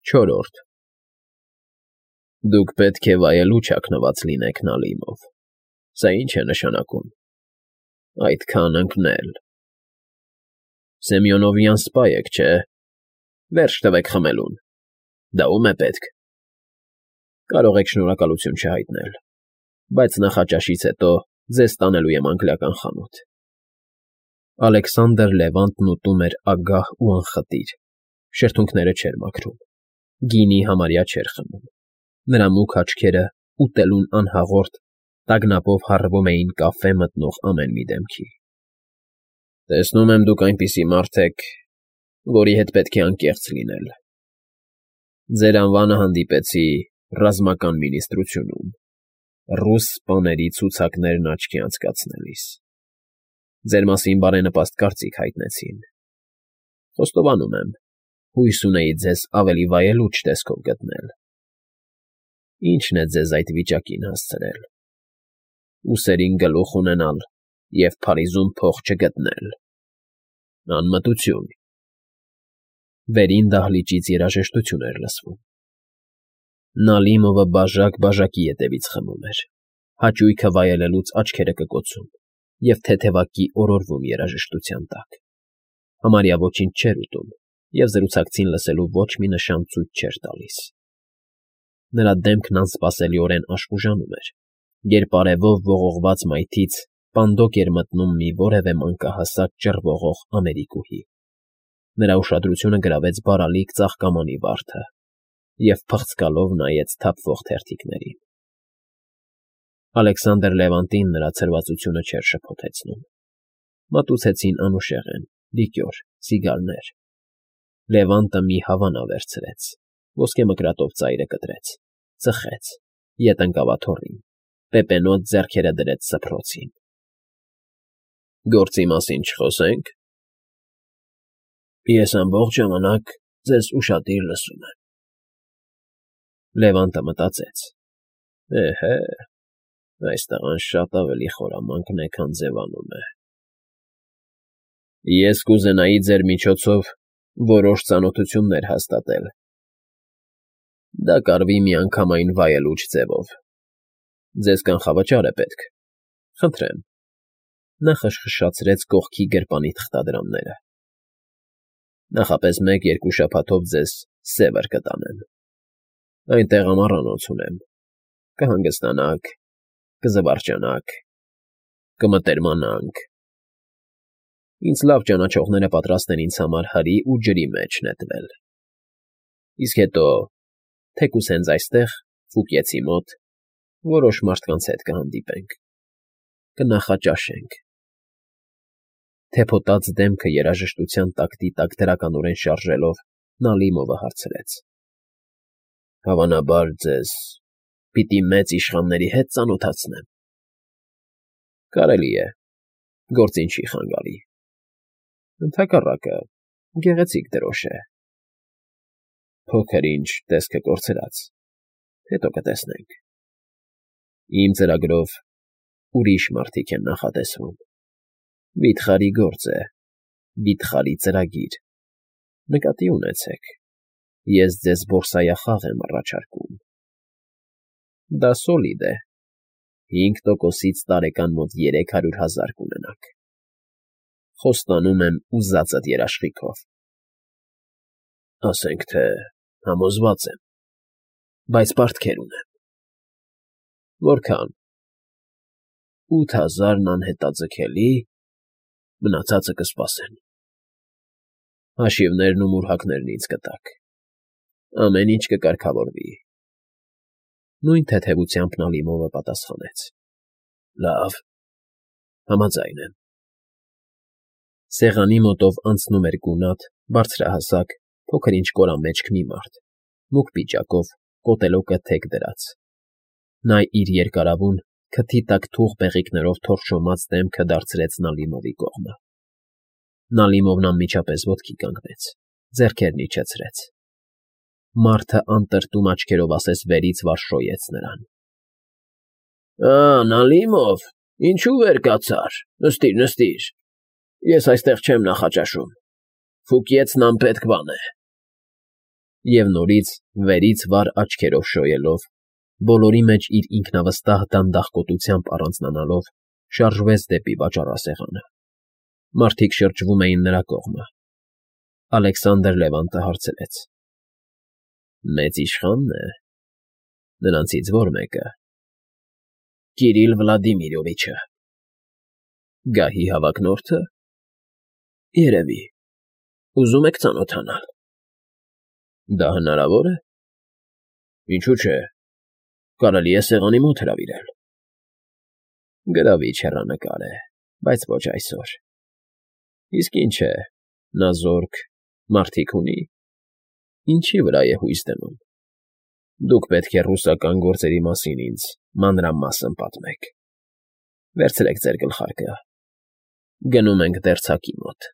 Չորրորդ Դուք պետք է վայելուչ հագնված լինեք Նալիմով, սա ի՞նչ է նշանակում, այդքան ընկնել, Սեմյոնովյան սպա եք, չէ՞, վերջ տվեք խմելուն, դա ո՞ւմ է պետք, կարող եք շնորհակալություն չհայտնել, բայց նախաճաշից հետո ձեզ տանելու եմ անգլիական խանութ։ Ալեքսանդր Լևանտն ուտում էր ագահ ու անխտիր, շրթունքները չէր մաքրում, գինի համարյա չէր խմում, նրա մուգ աչքերը ուտելուն անհաղորդ տագնապով հառվում էին կաֆե մտնող ամեն մի դեմքի։ Տեսնում եմ դուք այնպիսի մարդ եք, որի հետ պետք է անկեղծ լինել։ Ձեր անվանը հանդիպեցի ռազմական մինիստրությունում, ռուս սպաների ցուցակներն աչքի անցկացնելիս։ Ձեր մասին բարենպաստ կարծիք հայտնեցին։ Խոստովանում եմ, հույս ունեի ձեզ ավելի վայելուչ տեսքով գտնել։ Ի՞նչն է ձեզ այդ վիճակին հասցրել։ Ուսերին գլուխ ունենալ և Փարիզում փող չգտնել։ Անմտություն։ Վերին դահլիճից երաժշտություն էր լսվում։ Նալիմովը բաժակ֊բաժակի ետևից խմում էր, հաճույքը վայելելուց աչքերը կկոցում և թեթևակի օրորվում երաժշտության տակ։ Համարյա ոչինչ չէր ուտում և զրուցակցին լսելու ոչ մի նշան ցույց չէր տալիս։ Նրա դեմքն անսպասելիորեն աշխուժանում էր, երբ արևով ողողված մայթից պանդոկ էր մտնում մի որևէ մանկահասակ ճռվողող ամերիկուհի։ Նրա ուշադրությունը գրավեց բարալիկ ծաղկամանի վարդը և փղծկալով նայեց թափվող թերթիկներին։ Ալեքսանդր Լևանտին նրա ցրվածությունը չէր շփոթեցնում։ Մատուցեցին անուշեղեն, լիկյոր, սիգարներ։ Լևանտը մի հավանա վերցրեց, ոսկե մկրատով ծայրը կտրեց, ծխեց, ետ ընկավ աթոռին, պեպենոտ ձեռքերը դրեց սփռոցին։ Գործի մասին չխոսե՞նք։ Ես ամբողջ ժամանակ ձեզ ուշադիր լսում եմ։ Լևանտը մտածեց. Էհե, այս տղան շատ ավելի խորամանկ է, քան ձևանում է։ Ես կուզենայի ձեր միջոցով որոշ ծանոթություններ հաստատել։ Դա կարվի միանգամայն վայելուչ ձևով։ Ձեզ կանխավճար է պետք։ Խնդրեմ։ Նա խշխշացրեց կողքի գրպանի թղթադրամները։ Նախապես 1-2 շաբաթով ձեզ Սևր կտանեմ։ Այնտեղ ամառանոց ունեմ։ Կհանգստանաք, կզվարճանաք, կմտերմանանք։ Ինձ լավ ճանաչողները պատրաստ են ինձ համար հրի ու ջրի մեջ նետվել։ Իսկ հետո, թեկուզ հենց այստեղ, Ֆուկիեցի մոտ, որոշ մարդկանց հետ կհանդիպենք, կնախաճաշենք։ Թեփոտած դեմքը երաժշտության տակտի տակ դրականորեն շարժելով Նալիմովը հարցրեց. Հավանաբար ձեզ պիտի մեծ իշխանների հետ ծանոթացնեմ։ Կարելի է, գործին չի խանգարի։ Ընդհակառակը, գեղեցիկ դրոշ է։ Փոքր-ինչ տեսքը կորցրած, հետո կտեսնենք։ Իմ ծրագրով ուրիշ մարդիկ են նախատեսվում։ Վիթխարի գործ է, վիթխարի ծրագիր։ Նկատի ունեցեք, ես ձեզ բորսայախաղ եմ առաջարկում։ Դա սոլիդ է, 5%-ից տարեկան մոտ 300,000 կունենաք։ Խոստանում եմ ուզածդ երաշխիքով։ Ասենք թե համոզված եմ, բայց պարտքեր ունեմ։ Որքան։ 8,000-ն անհետաձգելի, մնացածը կսպասեն։ Հաշիվներն ու մուրհակներն ինձ կտաք։ Ամեն ինչ կկարգավորվի։ Նույն թեթևությամբ Նալիմովը պատասխանեց. Լավ, համաձայն եմ։ Սեղանի մոտով անցնում էր գունատ, բարձրահասակ, փոքր-ինչ կորամեջք մի մարդ, մուգ պիջակով, կոտելոկը թեք դրած։ Նա իր երկարավուն, քթի տակ թուղ բեղիկներով թորշոմած դեմքը դարձրեց Նալիմովի կողմը։ Նալիմովն անմիջապես ոտքի կանգնեց, ձեռքերն իջեցրեց։ Մարդը անտրտում աչքերով ասես վերից վարշոյեց նրան։ Նալիմով, ինչու վեր կացար, նստիր։ Ես այստեղ չեմ նախաճաշում։ Ֆուկիեցն անպետք բան է։ Եվ նորից վերից վար աչքերով շոյելով, բոլորի մեջ իր ինքնավստահ դանդաղկոտությամբ առանձնանալով, շարժվեց դեպի վաճառասեղանը։ Մարդիկ շրջվում էին նրա կողմը։ Ալեքսանդր Լևանտը հարցրեց. Մեծ իշխա՞նն է։ Նրանցից ո՞ր մեկը։ Կիրիլ Վլադիմիրովիչը։ Գահի հավակնորդը։ Երևի։ Ուզում եք ծանոթանալ։ Դա հնարավոր է։ Ինչու՞ չէ։ Կարելի է սեղանի մոտ հրավիրել։ Գրավիչ հեռանկար է, բայց ոչ այսօր։ Իսկ ինչ է, նա զորք, մարդիկ ունի։ Ինչի վրա է հույս դնում։ Դուք պետք է ռուսական գործերի մասին ինձ մանրամասն պատմեք։ Վերցրեք ձեր գլխարկը։ Գնում ենք դերձակի մոտ։